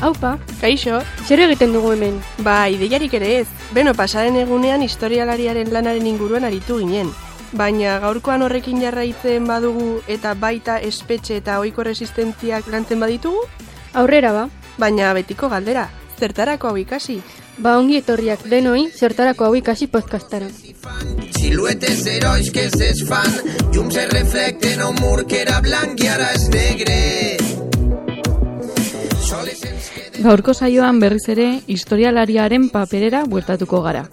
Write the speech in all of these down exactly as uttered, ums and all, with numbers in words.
Aupa, Kaixo. zer egiten dugu hemen? Ba, ideiarik ere ez. Beno, pasaren egunean historialariaren lanaren inguruan aritu ginen. Baina gaurkoan horrekin jarraitzen badugu eta baita espetxe eta ohiko resistentziak lantzen baditugu? Aurrera ba. Baina betiko galdera, zertarako hau ikasi? Ba ongi etorriak denoi, zertarako hau ikasi podcastara. Siluetes herois que s'esfan, llums se reflecten a un mur que era blanc i ara és negre. Gaurko saioan berriz ere historialariaren paperera bueltatuko gara.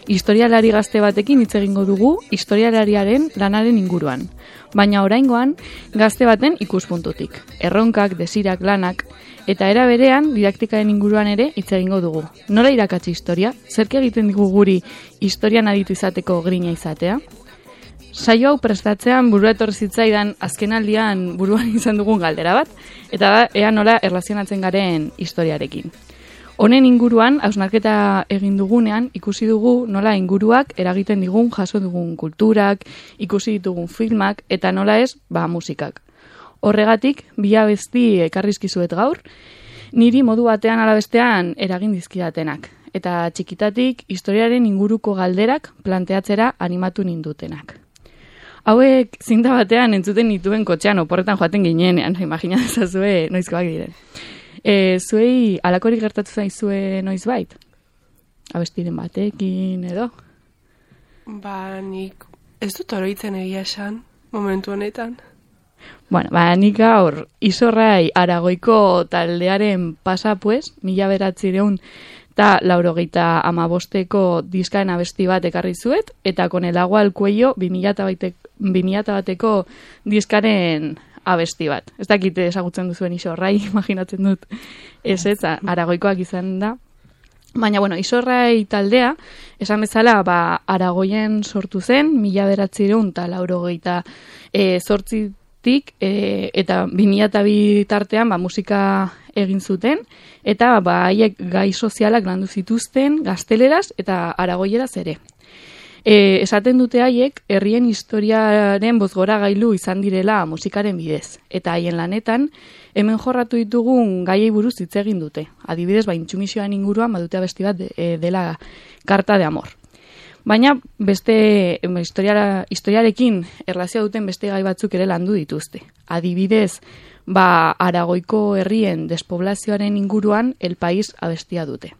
Historialari gazte batekin hitz egingo dugu historialariaren lanaren inguruan. Baina oraingoan gazte baten ikuspuntutik. Erronkak, desirak, lanak eta era berean didaktikaren inguruan ere hitz egingo dugu. Nola irakatsi historia? Zerk egiten digu guri historian aditu izateko grina izatea? Saio hau prestatzean burua etorri zitzaidan azkenaldian buruan izan dugun galdera bat, eta da ea nola erlazionatzen garen historiarekin. Honen inguruan, hausnarketa egin dugunean, ikusi dugu nola inguruak eragiten digun jaso dugun kulturak, ikusi ditugun filmak, eta nola ez, ba, musikak. Horregatik, bi abesti ekarrizkizuet gaur, niri modu batean ala bestean eragin dizkidatenak, eta txikitatik historiaren inguruko galderak planteatzera animatu nindutenak. Hauek zinta batean entzuten nituen kotxean oporretan joaten ginenean, imaginatezazue noizkoak diren. E, zuei alakorik gertatu zaizue noizbait? Abestiren batekin edo? Ba, nik ez dut oroitzen egia esan, momentu honetan. Bueno, ba, nik gaur Izorrai Aragoiko taldearen pasa pues, mila beratzireun eta laurogeita amabosteko diskaen abesti bat ekarri zuet, eta con el agua al cuello bi mila bateko diskaren abesti bat. Ez dakit ezagutzen duzuen Izorrai, imaginatzen dut ez ez, Aragoikoak izan da. Baina, bueno, Izorrai taldea, esan bezala, ba, Aragoien sortu zen, mila beratzireun eta laurogeita e, zortzitik, e, eta bi mila bi tartean ba, musika egin zuten, eta ba, haiek gai sozialak landu zituzten gazteleraz eta aragoieraz ere. E, esaten dute haiek, herrien historiaren bozgora gailu izan direla musikaren bidez. Eta haien lanetan, hemen jorratu ditugun gaiei buruz hitz egin dute. Adibidez, ba, intsumisioan inguruan badute abesti bat de, e, dela Karta de Amor. Baina beste historiara, historiarekin erlazioa duten beste gai batzuk ere landu dituzte. Adibidez, ba, Aragoiko herrien despoblazioaren inguruan El País abestia dute.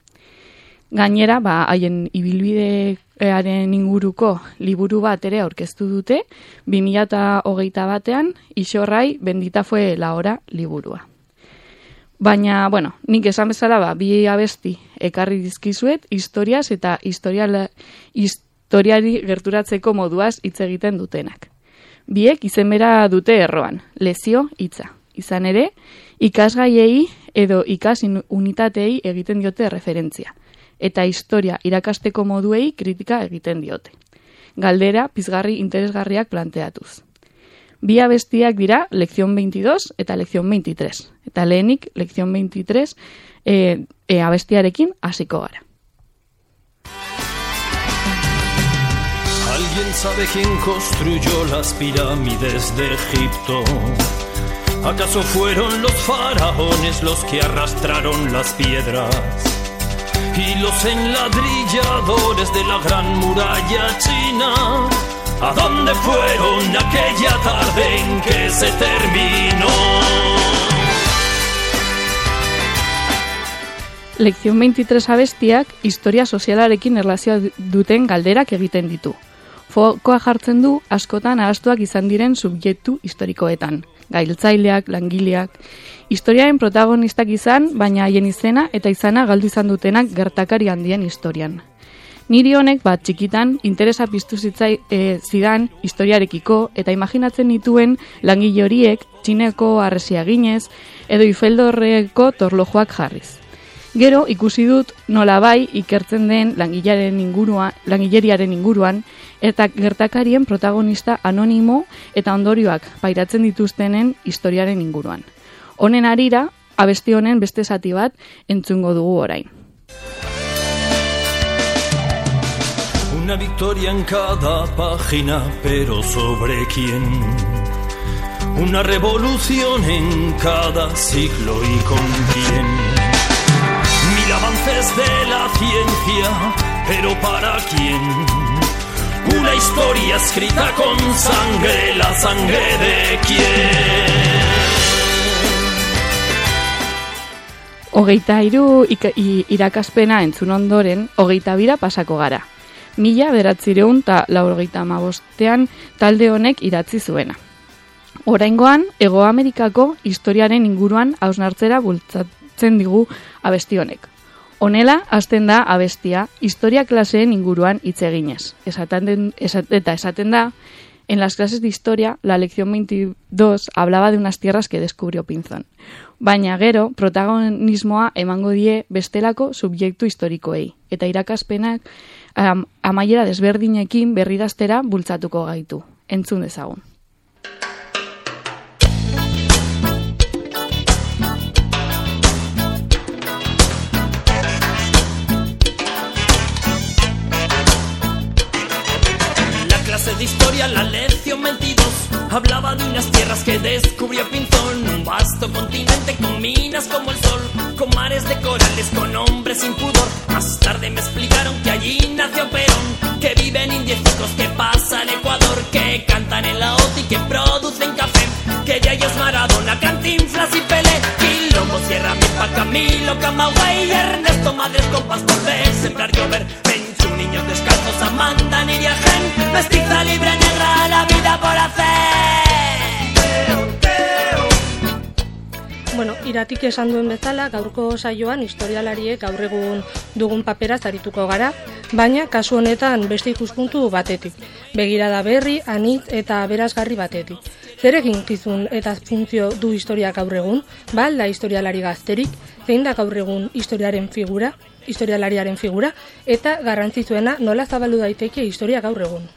Gainera, ba, haien ibilbidearen inguruko liburu bat ere aurkeztu dute, bi mila hogeita batean, Izorrai Bendita fue la hora liburua. Baina, bueno, nik esan bezala, ba, bi abesti ekarri dizkizuet, historiaz eta historiala, historiari gerturatzeko moduaz hitz egiten dutenak. Biek izenbera dute erroan, lezio hitza. Izan ere, ikasgaiei edo ikas unitatei egiten diote referentzia, eta historia irakasteko moduei kritika egiten diote. Galdera, pizgarri interesgarriak planteatuz. Bi abestiak dira Lección veintidós eta Lección veintitrés. Eta lehenik, Lección veintitrés e, e, abestiarekin hasiko gara. ¿Alguien sabe quién construyó las pirámides de Egipto? ¿Acaso fueron los faraones los que arrastraron las piedras? Y los enladrilladores de la gran muralla china, ¿a dónde fueron aquella tarde en que se terminó? Lección veintitrés abestiak historia sozialarekin erlazioa duten galderak egiten ditu. Fokoa jartzen du askotan ahaztuak izan diren subjektu historikoetan. Gailtzaileak, langileak, historiaren protagonistak izan, baina haien izena eta izana galdu izan dutenak gertakari handien historian. Niri honek bat txikitan interesa piztu zitzai e, zidan historiarekiko eta imaginatzen nituen langile horiek txineko harresia ginez edo ifeldorreko torlojoak jarriz. Gero ikusi dut nolabai ikertzen den langilaren inguruan, langileriaren inguruan eta gertakarien protagonista anonimo eta ondorioak pairatzen dituztenen historiaren inguruan. Honen harira, abesti honen beste zati bat entzungo dugu orain. Una victoria en cada página, pero ¿sobre quién? Una revolución en cada siglo y con quién. historia, pero ¿para quién? Una historia escrita con sangre, la sangre de quién. Hogeita hiru irakaspena entzun ondoren, hogeita bira pasako gara. Mila beratzireun eta laurogeita hamabostean talde honek idatzi zuena. Oraingoan, Hego Amerikako historiaren inguruan hausnartzera bultzatzen digu abesti honek. Honela, hasten da abestia, historia klaseen inguruan hitz eginez. Esaten, esat, eta esaten da, en las clases de historia, la lección veintidós hablaba de unas tierras que descubrió Pinzón. Baina gero, protagonismoa emango die bestelako subjektu historikoei. Eta irakaspenak um, amaiera desberdinekin berridaztera bultzatuko gaitu. Entzun dezagun. De historia, la lección veintidós hablaba de unas tierras que descubrió Pinzón, un vasto continente con minas como el sol, con mares de corales, con hombres sin pudor. Más tarde me explicaron que allí nació Perón, que viven indiecitos, que pasa el Ecuador, que cantan en la O T I, que producen café, que de ellos Maradona, Cantinflas y Pelé, Quilombo, Sierra Milpa, Camilo, Camagüey, Ernesto, Madres, Compas, Cortés, Sembrar, Llover, Penchu, niños descalzos, Amanda, Nidia, Gen, mestiza, libre, negra, la vida por hacer. Teo, teo. Bueno, iratik esan duen bezala, gaurko saioan historialariek gaur egun dugun paperaz arituko gara, baina kasu honetan beste ikuspuntu batetik, begirada berri, anitz eta berazgarri batetik. Zer eginkizun eta funtzio du historia gaur egun, bal da historialari gazterik, zein da gaur egun historiaren figura, historialariaren figura, eta garrantzitsuena nola zabaldu daiteke historia gaur egun.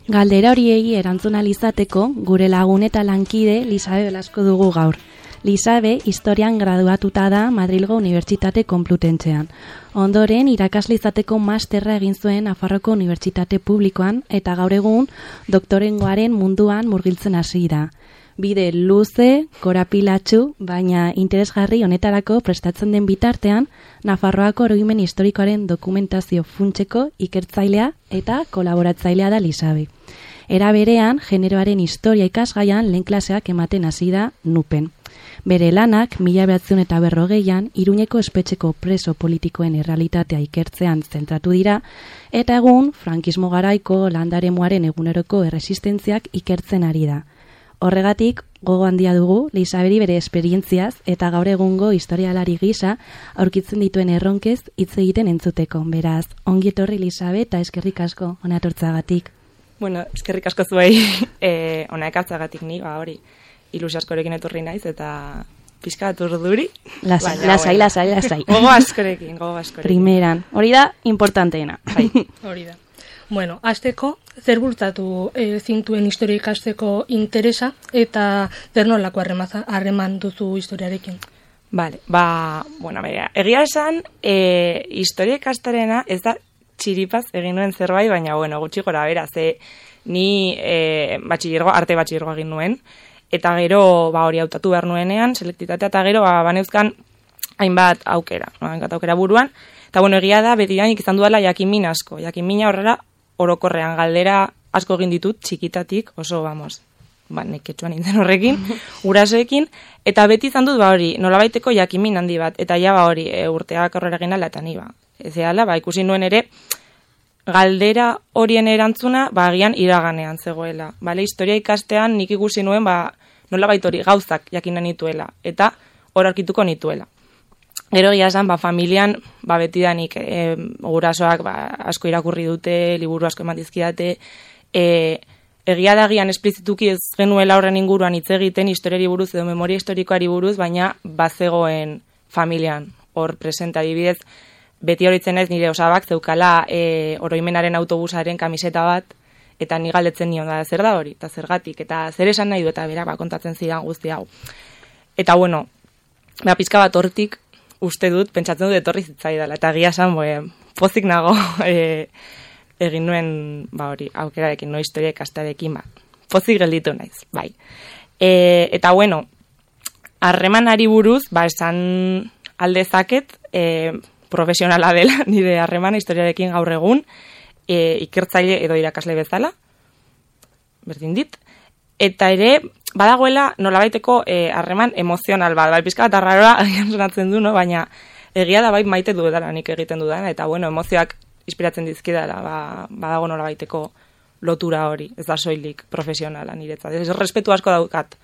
Galdera horiei erantzun ahal izateko, gure lagun eta lankide Lisabe Velasco dugu gaur. Lisabe historian graduatuta da Madrilgo Unibertsitate Konplutentzean. Ondoren irakasle izateko masterra egin zuen Nafarroako Unibertsitate Publikoan eta gaur egun doktorengoaren munduan murgiltzen hasi da. Bide luze, korapilatsu, baina interesgarri honetarako prestatzen den bitartean, Nafarroako oroimen historikoaren dokumentazio funtseko ikertzailea eta kolaboratzailea da Lisabe. Era berean, generoaren historia ikasgaian lehen klaseak ematen hasi da Nupen. Bere lanak, mila bederatziehun eta berrogeian, Iruñeko espetxeko preso politikoen errealitatea ikertzean zentratu dira, eta egun, frankismo garaiko landaremuaren eguneroko erresistentziak ikertzen ari da. Horregatik, gogo handia dugu, Lisaberi bere esperientziaz eta gaur egungo historialari gisa aurkitzen dituen erronkez hitz egiten entzuteko. Beraz, ongi etorri Lisabe eta eskerrik asko hona etortzagatik. Bueno, eskerrik asko zuei eh, hona ekartzagatik ni, ba hori, ilusio askorekin etorri naiz eta pixka bat urduri. Lasai, lasai, lasai, lasai. Gogo askorekin, gogo askorekin. Primeran, hori da importanteena. Bai. Hori da. Bueno, azteko, zer bultzatu e, zintuen historia ikasteko interesa eta zer nolako harreman duzu historiarekin? Vale, ba, bueno, bera, egia esan, e, historia ikastarena ez da txiripaz egin nuen zerbait, baina, bueno, gutxi gora bera, ze ni e, batxillergo, arte batxillergo egin nuen, eta gero, ba, hori hautatu behar nuenean, selektitatea, eta gero, ba, baneuzkan hainbat aukera, no? hainbat aukera buruan, eta, bueno, egia da, beti danik izan duela jakinmin asko, jakinmina horrela, orokorrean galdera asko egin ditut txikitatik, oso, vamos, ba, neketxuan nintzen horrekin, gurasoekin, eta beti izan dut, ba, hori, nolabaiteko jakinmin handi bat, eta ja, ba, hori, e, urteak aurrera egin ala, eta ni, ba, ez ehala, ba, ikusi nuen ere, galdera horien erantzuna, ba, agian iraganean zegoela, bale, historia ikastean nik ikusi nuen, ba, nolabait hori gauzak jakina nituela, eta hor aurkituko nituela. Gero egia esan, ba, familian, ba, betidanik e, gurasoak ba, asko irakurri dute, liburu asko eman dizkidate, e, egia da gian esplizituki ez genuela horren inguruan hitz egiten historiari buruz edo memoria historikoari buruz, baina bazegoen familian hor presenta adibidez, beti horitzen ez nire osabak zeukala e, oroimenaren autobusaren kamiseta bat, eta ni galdetzen nion da zer da hori, eta zergatik, eta zer esan nahi du, eta bera, ba, kontatzen zidan guzti hau. Eta bueno, ba, pizka bat hortik, uste dut, pentsatzen dut etorri zitzaidala, eta egia esan, boe, pozik nago e, egin nuen, ba hori, aukerarekin, no historia ikastarekin, ba, pozik gelditu naiz, bai. E, eta bueno, harremanari buruz, ba, esan aldezaket, e, profesionala dela nire harremana historiarekin gaur egun, e, ikertzaile edo irakasle bezala, berdin dit, eta ere, badagoela nolabaiteko harreman e, emozional bat, bai pizka bat arraroa agian sonatzen du, no? Baina egia da bai maite du edala nik egiten dudana, eta bueno, emozioak inspiratzen dizkidala, ba, badago nolabaiteko lotura hori, ez da soilik profesionala niretzat. Ez respetu asko daukat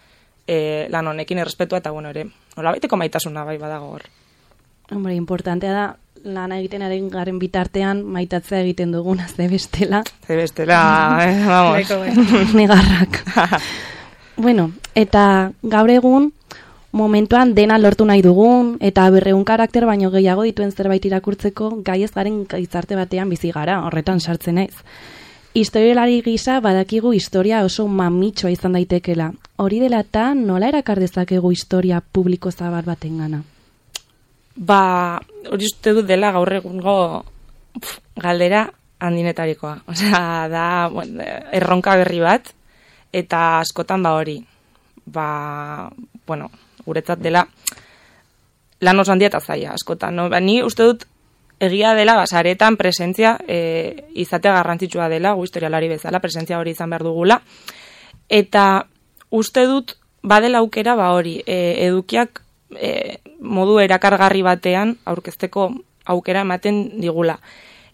e, lan honekin, errespetua eta bueno, ere, nolabaiteko maitasuna bai badago hor. Hombre, importantea da, lan egiten ari garen bitartean maitatzea egiten dugun, ze bestela. Ze bestela, eh, vamos. Negarrak. Bueno, eta gaur egun, momentuan dena lortu nahi dugun, eta berreun karakter baino gehiago dituen zerbait irakurtzeko, gai ez garen gizarte batean bizi gara, horretan sartzen naiz. Historialari gisa badakigu historia oso mamitxoa izan daitekela. Hori dela eta nola erakar dezakegu historia publiko zabal baten gana? Ba, hori uste dut dela gaur egungo pf, galdera handinetarikoa. Osea, da bueno, erronka berri bat, eta askotan ba hori. Ba, bueno, guretzat dela lan oso handia eta zaila, askotan. No? Ba, ni uste dut egia dela, basaretan presentzia e, izatea garrantzitsua dela, gu historialari bezala, presentzia hori izan behar dugula. Eta uste dut badela aukera ba hori, e, edukiak e, modu erakargarri batean aurkezteko aukera ematen digula.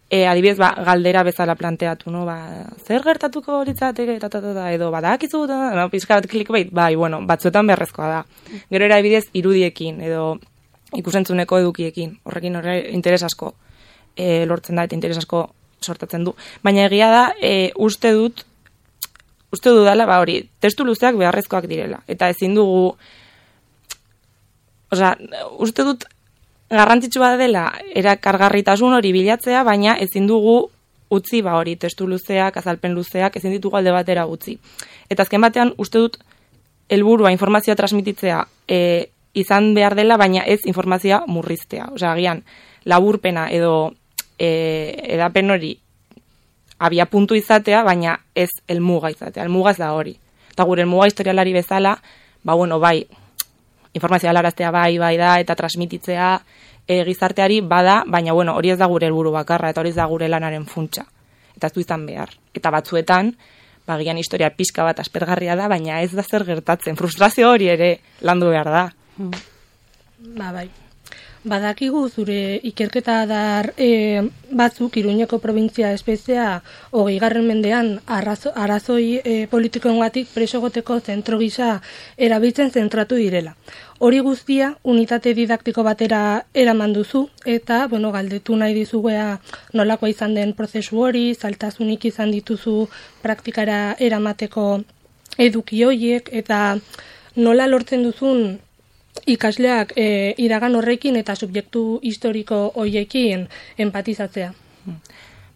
E, adibidez, ba, galdera bezala planteatu, no? Ba, zer gertatuko horitzateke, ta, ta, ta, ta, edo badakizu, ta, no, pizka bat clickbait, bai, bueno, batzuetan beharrezkoa da. Gero era adibidez irudiekin, edo ikusentzuneko edukiekin, horrekin horre interes asko e, lortzen da eta interes asko sortatzen du. Baina egia da, e, uste dut, uste dudala, ba hori, testu luzeak beharrezkoak direla. Eta ezin dugu, osea, uste dut garrantzitsua dela erakargarritasun hori bilatzea, baina ezin dugu utzi ba hori, testu luzeak, azalpen luzeak, ezin ditugu alde batera utzi. Eta azken batean, uste dut, helburua informazioa transmititzea, e, izan behar dela, baina ez informazioa murriztea. Osea, agian, laburpena edo e, edapen hori abia puntu izatea, baina ez helmuga izatea. Helmuga ez da hori. Eta gure helmuga historialari bezala, ba bueno, bai, informazioa helaraztea bai, bai da, eta transmititzea e, gizarteari bada, baina bueno, hori ez da gure helburu bakarra, eta hori ez da gure lanaren funtsa. Eta ez du izan behar. Eta batzuetan, bagian historia pixka bat aspergarria da, baina ez da zer gertatzen. Frustrazio hori ere landu behar da. Ba, bai. Badakigu zure ikerketa dar e, batzuk Iruñeko probintzia espezia hogeigarren mendean arrazo, arazoi e, politikoengatik preso egoteko zentro gisa erabiltzen zentratu direla. Hori guztia unitate didaktiko batera eraman duzu eta bueno, galdetu nahi dizuguea nolakoa izan den prozesu hori, zailtasunik izan dituzu praktikara eramateko eduki horiek eta nola lortzen duzun ikasleak e, iragan horrekin eta subjektu historiko horiekin empatizatzea.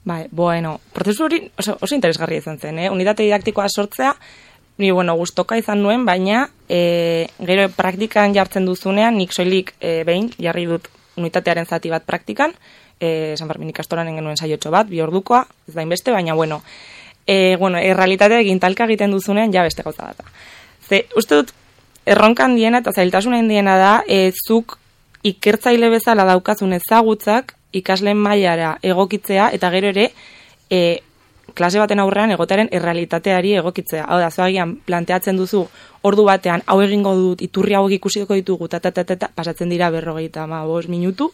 Bai, bueno, prozesu hori oso, oso interesgarria izan zen, eh? Unitate didaktikoa sortzea, ni bueno, gustoka izan nuen, baina e, gero praktikan jartzen duzunean, nik soilik e, behin jarri dut unitatearen zati bat praktikan, e, San Fermin ikastolan genuen saiotxo bat, bi ordukoa, ez da inbeste, baina bueno, e, bueno, errealitatea egin talka egiten duzunean ja beste gauza bat. Ze, uste dut, erronkan diena eta zailtasunen diena da, e, zuk ikertzaile bezala daukazun ezagutzak ikasleen mailara egokitzea eta gero ere e, klase baten aurrean egotaren errealitateari egokitzea. Hau da, zoagian planteatzen duzu ordu batean hau egingo dut, iturri hau ikusiko ditugu, ta, ta, ta, ta, ta, pasatzen dira berrogeita ma bost minutu,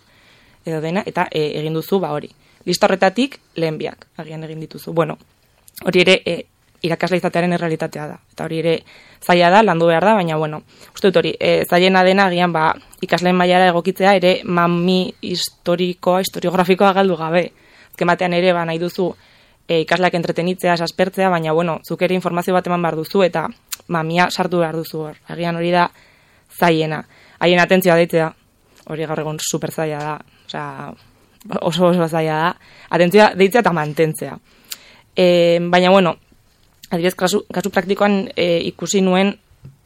edo dena, eta e, egin duzu, ba hori. Lista horretatik lehen biak, agian egin dituzu. Bueno, hori ere e, irakasle izatearen errealitatea da. Eta hori ere zaila da, landu behar da, baina bueno, uste dut hori, e, zailena dena agian ba, ikasleen mailara egokitzea ere mami historikoa, historiografikoa galdu gabe. Azken batean ere ba, nahi duzu e, ikasleak entretenitzea, aspertzea, baina bueno, zuk ere informazio bat eman behar duzu eta mamia sartu behar duzu hor. Agian hori da zailena. Haien atentzioa deitzea, hori gaur egun super zaila da, osea, oso oso zaila da, atentzioa deitzea eta mantentzea. E, baina bueno, adibidez, kasu, kasu praktikoan e, ikusi nuen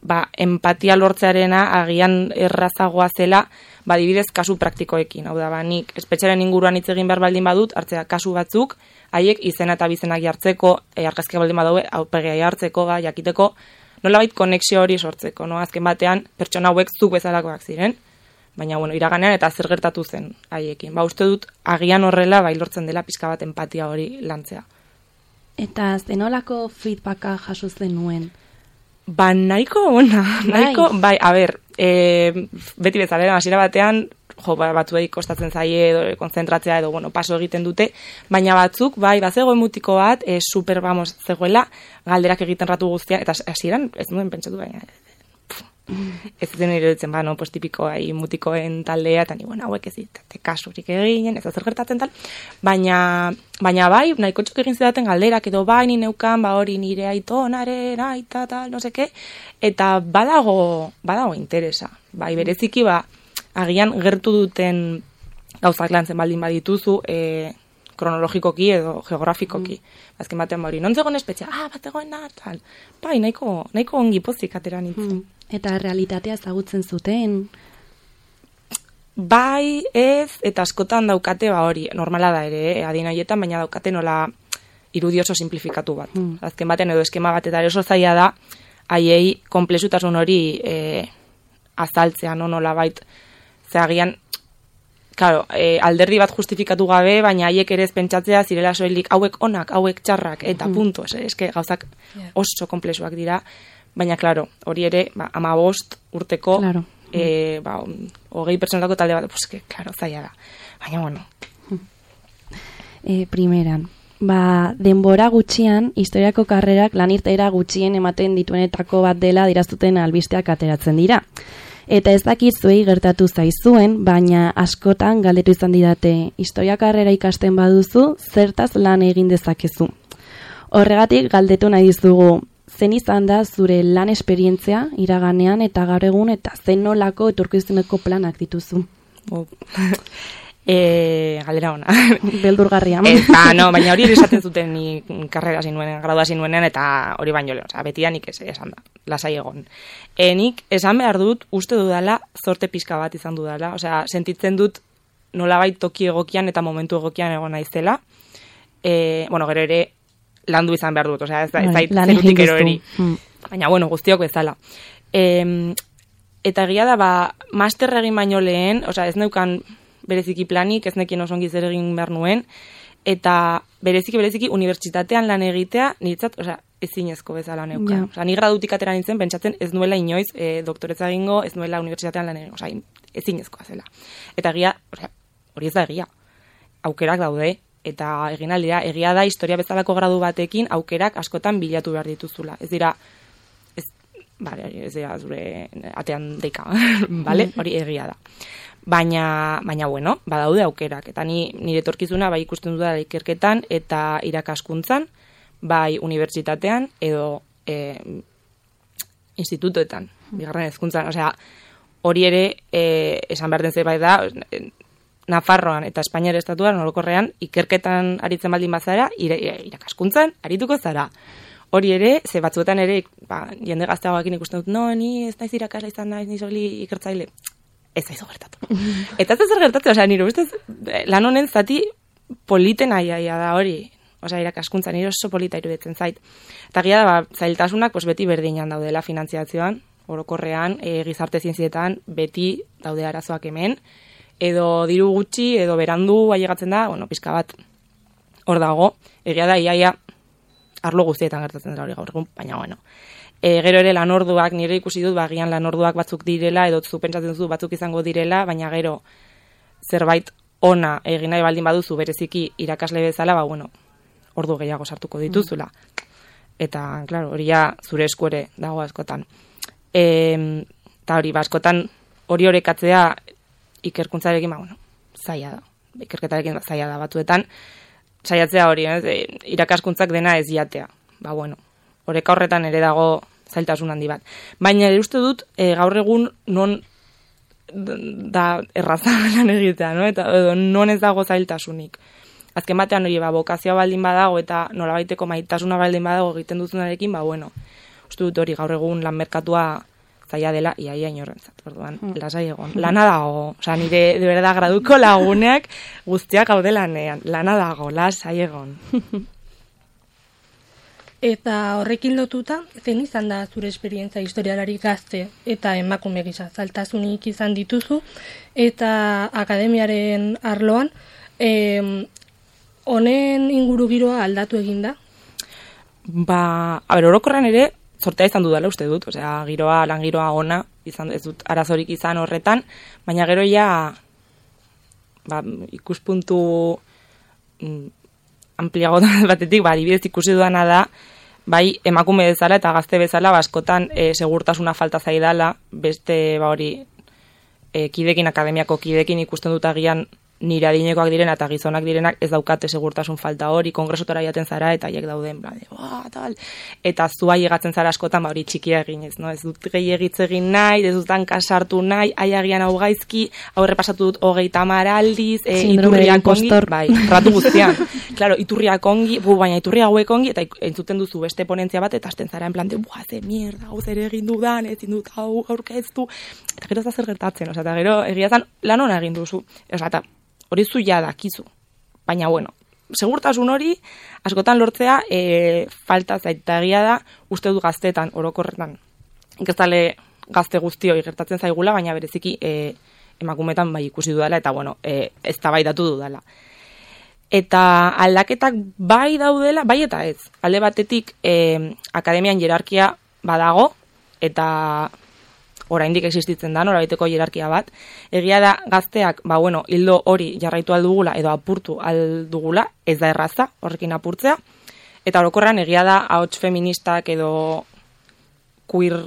ba, empatia lortzearena agian errazagoa zela ba, adibidez, kasu praktikoekin. Hau da, ba, nik espetxaren inguruan hitz egin behar baldin badut, hartzea kasu batzuk, haiek izena eta bizenak jartzeko, e, argazkiak baldin badaue, aurpegia jartzeko, ba, jakiteko, nolabait konexio hori sortzeko. No? Azken batean, pertsona hauek zuk bezalakoak ziren, Baina, bueno, iraganean eta zer gertatu zen haiekin. Ba, uste dut, agian horrela, bai lortzen dela pizka bat empatia hori lantzea. Eta zenolako feedbacka jaso zenuen? Ba, nahiko, ona, nahiko, bai, a ber, e, beti bezala, hasiera batean, jo, ba, batzuei kostatzen zaie edo konzentratzea edo, bueno, paso egiten dute, baina batzuk, bai, bazegoen mutiko bat, e, super, vamos, zegoela, galderak egiten ratu guztia, eta hasieran ez nuen pentsatu, baina, ez zen iruditzen, ba, no, pues tipiko ai, mutikoen taldea, eta ni, bueno, hauek ez ditate kasurik eginen, ez zer gertatzen tal, baina, baina bai, nahiko txok egin zidaten galderak, edo bai, ni neukan, ba hori nire aitonaren, aita, tal, no seke, eta badago, badago interesa, bai, bereziki, ba, agian gertu duten gauzak lantzen baldin badituzu, e, kronologikoki edo geografikoki. Mm. Azken batean hori, non zegoen espetxea, ah, bat egoen da, tal. Bai, nahiko, nahiko ongi pozik atera nintzen. Mm. Eta realitatea ezagutzen zuten? Bai, ez, eta askotan daukate, ba hori, normala da ere, eh, adin horietan, baina daukate nola irudi oso simplifikatu bat. Mm. Azken batean edo eskema bat eta oso zaila da, haiei konplexutasun hori eh, azaltzea, no, nola bait, zeagian, claro, eh, alderdi bat justifikatu gabe, baina haiek ere ez pentsatzea zirela soilik hauek onak, hauek txarrak, eta mm. punto, es, eske gauzak yeah. oso komplexuak dira, baina, claro, hori ere, ba, ama bost urteko, claro. e, ba, hogei pertsonetako talde bat, pues, que, claro, zaila da, baina, bueno. E, primeran, ba, denbora gutxian, historiako karrerak lanirtaera gutxien ematen dituenetako bat dela diraztuten albisteak ateratzen dira. Eta ez dakit zuei gertatu zaizuen, baina askotan galdetu izan didate, historia karrera ikasten baduzu, zertaz lan egin dezakezu. Horregatik galdetu nahi dizugu, zen izan da zure lan esperientzia iraganean eta gaur egun eta zen nolako etorkizuneko planak dituzu? Oh. E, galdera ona. Beldurgarria. Eta, no, baina hori esaten zuten ni karrera zinuen, gradua zinuenean, eta hori baino lehen, oza, beti da nik ez esan da, lasai egon. E, nik esan behar dut, uste dudala, zorte pizka bat izan dudala, osea, sentitzen dut nolabait toki egokian eta momentu egokian egon naizela. E, bueno, gero ere, landu izan behar dut, osea, ez da, ez zait zerutik ero eri. Hmm. Baina, bueno, guztiok bezala. E, eta egia da, ba, master egin baino lehen, osea, ez neukan bereziki planik, ez nekien oso ongi zer egin behar nuen, eta bereziki, bereziki, unibertsitatean lan egitea, niretzat, osea, ezinezko bezala neuka. Yeah. Osea, ni gradutik atera nintzen, pentsatzen ez nuela inoiz e, doktoretza egingo, ez nuela unibertsitatean lan egingo, osea, ezinezkoa zela. Eta egia, osea, hori ez da egia. Aukerak daude, eta egin aldira, egia da historia bezalako gradu batekin, aukerak askotan bilatu behar dituzula. Ez dira, ez, bale, ez dira zure atean deika, bale? Hori egia da. Baina, baina bueno, badaude aukerak. Eta ni nire etorkizuna bai ikusten dut da ikerketan eta irakaskuntzan, bai unibertsitatean edo e, institutoetan, bigarren hezkuntzan. Osea, hori ere e, esan behar den zerbait da, Nafarroan eta Espainiar estatuan orokorrean ikerketan aritzen baldin bazara, irakaskuntzan arituko zara. Hori ere, ze batzuetan ere, ba, jende gazteagoekin ikusten dut, no, ni ez naiz irakasle izan naiz, ni soli ikertzaile. Ez aizu gertatu. Eta ez zer gertatu, osea, nire ustez, lan honen zati politen aiaia da hori. Osea, irakaskuntza, nire oso polita iruditzen zait. Eta gira da, ba, zailtasunak pues, beti berdinan daudela finantziazioan, orokorrean, e, gizarte zientzietan, beti daude arazoak hemen, edo diru gutxi, edo berandu ailegatzen da, bueno, pizka bat hor dago, egia da, iaia, arlo guztietan gertatzen dira hori gaur egun, baina, bueno. E, gero ere lanorduak, nire ikusi dut, bagian lanorduak batzuk direla, edo zu pentsatzen zu batzuk izango direla, baina gero zerbait ona egin nahi baldin baduzu bereziki irakasle bezala, ba, bueno, ordu gehiago sartuko dituzula. Eta, klaro, hori ja zure esku ere dago askotan. E, eta hori, ba, askotan hori horekatzea ikerkuntzarekin, ba, bueno, zaila da. Ikerketarekin zaila da batzuetan. Saiatzea hori, eh? Irakaskuntzak dena ez jatea. Ba, bueno, horreka horretan ere dago zailtasun handi bat. Baina ere uste dut, e, gaur egun non da erraza lan egitea, no? Eta edo, non ez dago zailtasunik. Azken batean hori, ba, bokazioa baldin badago eta nolabaiteko maitasuna baldin badago egiten duzunarekin, ba, bueno, uste dut hori gaur egun lan merkatua zaila dela, iaia inorrentzat, orduan, mm. lasai egon. Lana dago, osea, nire de verdad graduko laguneak guztiak gaude lanean. Lana dago, lasai egon. Eta horrekin lotuta, zein izan da zure esperientzia historialari gazte eta emakume gisa, zailtasunik izan dituzu, eta akademiaren arloan, eh, honen inguru giroa aldatu egin da? Ba, a ber, orokorren ere, zortea izan dudala uste dut, osea, giroa, lan giroa ona, izan, ez dut arazorik izan horretan, baina gero ja, ba, ikuspuntu mm, ampliago batetik, ba, adibidez ikusi dudana da, bai emakume bezala eta gazte bezala, askotan e, segurtasuna falta zaidala, beste ba hori e, kidekin, akademiako kidekin ikusten dut agian nire adinekoak direna eta gizonak direnak ez daukate segurtasun falta hori, kongresotara jaten zara eta haiek dauden, bla, de, oh, tal. Eta zua llegatzen zara askotan, ba hori txikia egin ez, no? Ez dut gehiagitze egin nahi, ez dut hanka sartu nahi, aiagian hau gaizki, hau errepasatu dut hogeita hamar aldiz, e, iturriak ongi, bai, ratu guztian. Claro, iturriak ongi, bu, baina iturri hauek ongi, eta entzuten duzu beste ponentzia bat, eta hasten zara en plan de, buah, ze mierda, hau zer egin dudan, ezin dut hau aurkeztu, eta gero ez da zer gertatzen, osea, eta gero egia zan lan ona egin duzu, osea, eta hori zu ja dakizu. Baina, bueno, segurtasun hori, askotan lortzea, e, falta zaita egia da, uste du gaztetan, orokorretan. Inkestale gazte guztioi gertatzen zaigula, baina bereziki e, emakumetan bai ikusi dudala, eta, bueno, e, ez tabaidatu dudala. Eta aldaketak bai daudela, bai eta ez. Alde batetik, e, akademian jerarkia badago, eta oraindik existitzen da, norabaiteko hierarkia bat. Egia da gazteak, ba bueno, hildo hori jarraitu aldugula edo apurtu aldugula, ez da erraza horrekin apurtzea. Eta orokorrean egia da ahots feministak edo queer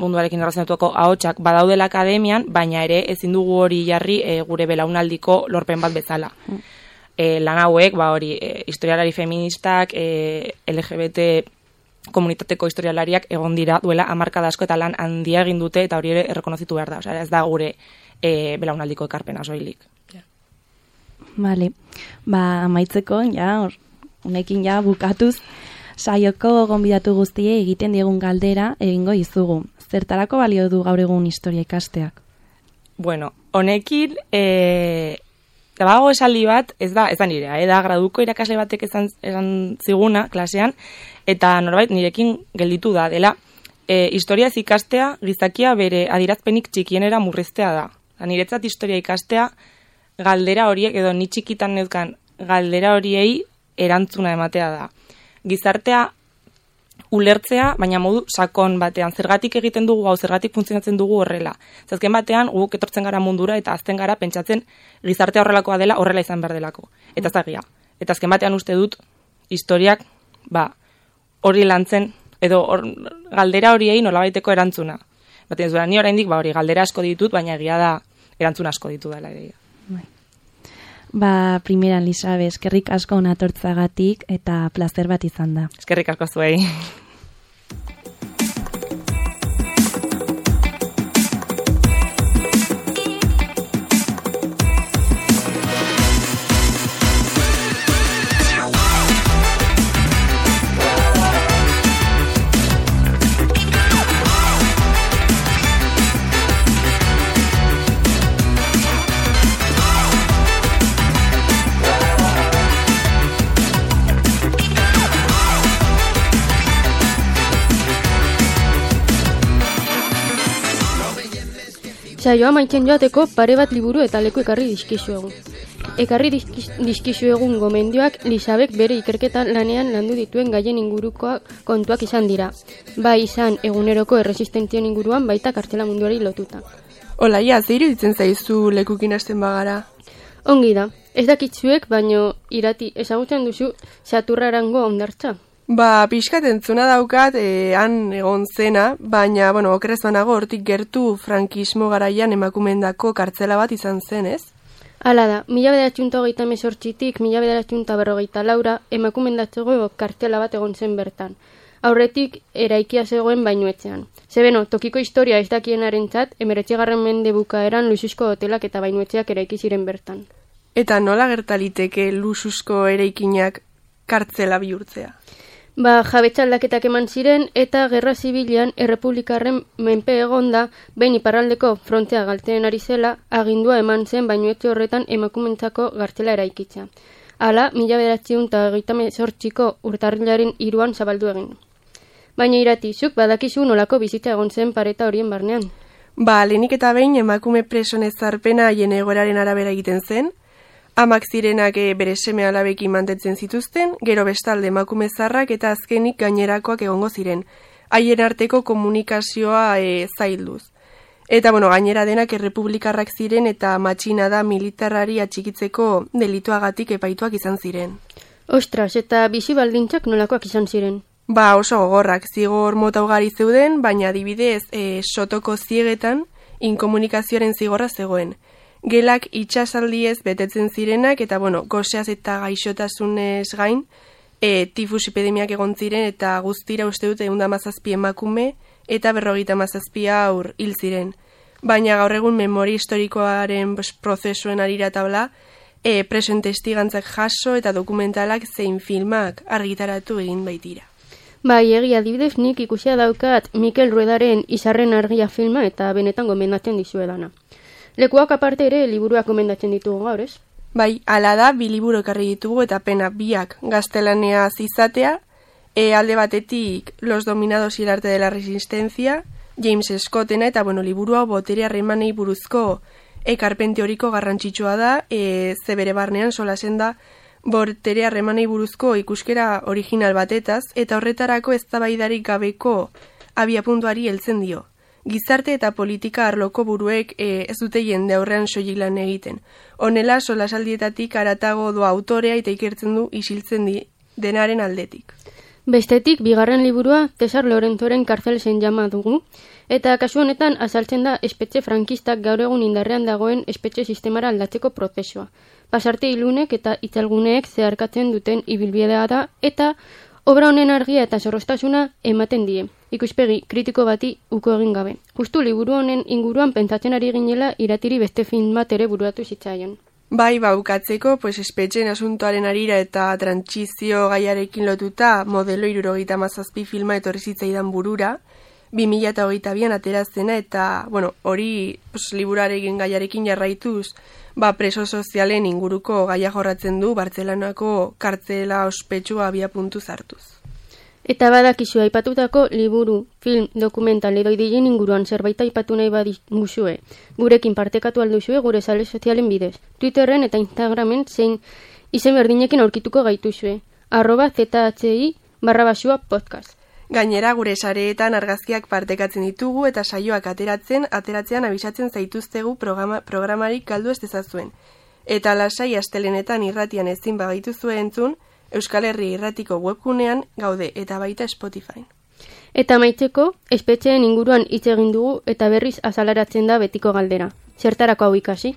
munduarekin erlazionatuko ahotsak badaudela akademian, baina ere ezin dugu hori jarri e, gure belaunaldiko lorpen bat bezala. Mm. E, lan hauek, ba hori, e, historialari feministak, e, L G B T komunitateko historialariak egon dira duela hamarkada asko eta lan handia egin dute eta hori ere errekonozitu behar da. Osea, ez da gure e, belaunaldiko ekarpena soilik. Yeah. Vale. Ba, amaitzeko, ja, honekin ja bukatuz, saioko gonbidatu guztie egiten diegun galdera egingo izugu. Zertarako balio du gaur egun historia ikasteak? Bueno, honekin eh Dago esaldi bat, ez da, ez da nirea, eh, da graduko irakasle batek esan, esan ziguna klasean, eta norbait nirekin gelditu da, dela, e, historiaz ikastea gizakia bere adirazpenik txikienera murriztea da. Niretzat historia ikastea galdera horiek, edo ni txikitan neuzkan galdera horiei erantzuna ematea da. Gizartea ulertzea, baina modu sakon batean, zergatik egiten dugu hau, zergatik funtzionatzen dugu horrela. Zazken batean, guk etortzen gara mundura eta azten gara pentsatzen gizartea horrelakoa dela, horrela izan behar delako. Eta zagia. Eta azken batean uste dut, historiak, ba, hori lantzen, edo or, galdera horiei nolabaiteko erantzuna. Baten zura, ni oraindik ba, hori galdera asko ditut, baina egia da erantzun asko ditu dela egia. Ba, primeran, Lisabe, eskerrik asko onatortzagatik eta plazer bat izan da. Eskerrik asko zuei. Saioa maitzen joateko pare bat liburu eta leku ekarri dizkizuegu. Ekarri dizkizuegun gomendioak Lisabek bere ikerketan lanean landu dituen gaien inguruko kontuak izan dira. Bai izan eguneroko erresistentzien inguruan baita kartzela munduari lotuta. Olaia, ze iruditzen zaizu lekukin hasten bagara? Ongi da, ez dakitzuek, baino irati ezagutzen duzu Saturrarango hondartza. Ba, pixkat entzuna daukat, e, han egon zena, baina, bueno, okerrez banago, hortik gertu frankismo garaian emakumendako kartzela bat izan zen, ez? Hala da, mila bederatziunta hogeita mesortzitik, mila bederatziunta berrogeita laura, emakumendatzeko kartzela bat egon zen bertan. Aurretik, eraikia zegoen bainuetzean. Zebeno, tokiko historia ez dakienarentzat, emeretzigarren mende bukaeran luxuzko hotelak eta bainuetzeak eraiki ziren bertan. Eta nola gertaliteke luxuzko eraikinak kartzela bihurtzea? Ba, jabetza aldaketak eman ziren eta gerra zibilean errepublikarren menpe egonda, behin iparraldeko frontea galtzen ari zela, agindua eman zen bainuetxe horretan emakumentzako gartzela eraikitza. Hala, mila bederatziehun eta hogeita hemezortziko urtarrilaren hiruan zabaldu egin. Baina Irati, zuk badakizu nolako bizitza egon zen pareta horien barnean. Ba, lehenik eta behin emakume preson ezarpena haien egoeraren arabera egiten zen, amak zirenak e, bere seme alabekin mantentzen zituzten, gero bestalde emakume zarrak eta azkenik gainerakoak egongo ziren, haien arteko komunikazioa e, zailduz. Eta, bueno, gainera denak errepublikarrak ziren eta matxinada militarrari atxikitzeko delituagatik epaituak izan ziren. Ostras, eta bizi baldintzak nolakoak izan ziren? Ba, oso gogorrak, zigor mota ugari zeuden, baina adibidez e, sotoko ziegetan inkomunikazioaren zigorra zegoen. Gelak itxasaldiez betetzen zirenak eta, bueno, goseaz eta gaixotasunez gain, e, tifus epidemiak egon ziren eta guztira uste dute ehun eta hamazazpi emakume eta berrogeita hamazazpi aur hil ziren. Baina gaur egun memoria historikoaren prozesuen arira tabla, e, presoen testigantzak jaso eta dokumentalak zein filmak argitaratu egin baitira. Bai, egia adibidez nik ikusia daukat Mikel Ruedaren Izarren argia filma eta benetan gomendatzen dizuedana. Lekuak aparte ere liburuak gomendatzen ditugu gaur, ez? Bai, hala da, bi liburu ekarri ditugu eta pena biak gaztelaniaz izatea, e, alde batetik Los dominados y el arte de la resistencia, James Scottena eta, bueno, liburua botere harremanei buruzko ekarpen teoriko garrantzitsua da, e, ze bere barnean solasen da botere harremanei buruzko ikuskera original batetaz, eta horretarako eztabaidarik gabeko abiapuntuari heltzen dio. Gizarte eta politika arloko buruek e, ez dute jende aurrean soilik lan egiten. Honela, solasaldietatik aratago doa autorea eta ikertzen du isiltzen di denaren aldetik. Bestetik, bigarren liburua Cesar Lorenzoren Karzel zen jama dugu, eta kasu honetan azaltzen da espetxe frankistak gaur egun indarrean dagoen espetxe sistemara aldatzeko prozesua. Pasarte ilunek eta itzalguneek zeharkatzen duten ibilbidea da, eta obra honen argia eta zorroztasuna ematen die, ikuspegi kritiko bati uko egin gabe. Justu liburu honen inguruan pentsatzen ari ginela Iratiri beste film bat ere buruatu zitzaion. Bai, baukatzeko, pues espetxen asuntoaren arira eta trantsizio gaiarekin lotuta modelo hirurogeita hamazazpi filma etorri zitzaidan burura, bi mila hogeita bian aterazena eta, bueno, hori pues, liburarekin gaiarekin jarraituz, ba, preso sozialen inguruko gaia jorratzen du Bartzelonako kartzela ospetsua abia puntu zartuz. Eta badakizu aipatutako liburu, film, dokumental edo ideien inguruan zerbait aipatu nahi badizue, gurekin partekatu alduzue gure sare sozialen bidez, Twitterren eta Instagramen zein izen berdinekin aurkituko gaituzue, arroba zhi barra basua podcast. Gainera gure sareetan argazkiak partekatzen ditugu eta saioak ateratzen, ateratzean abisatzen zaituztegu programa, programarik galdu ez dezazuen. Eta lasai astelenetan irratian ezin bagaituzue entzun, Euskal Herri irratiko webgunean gaude eta baita Spotify. Eta maitzeko, espetxeen inguruan hitz egin dugu eta berriz azalaratzen da betiko galdera. Zertarako hau ikasi?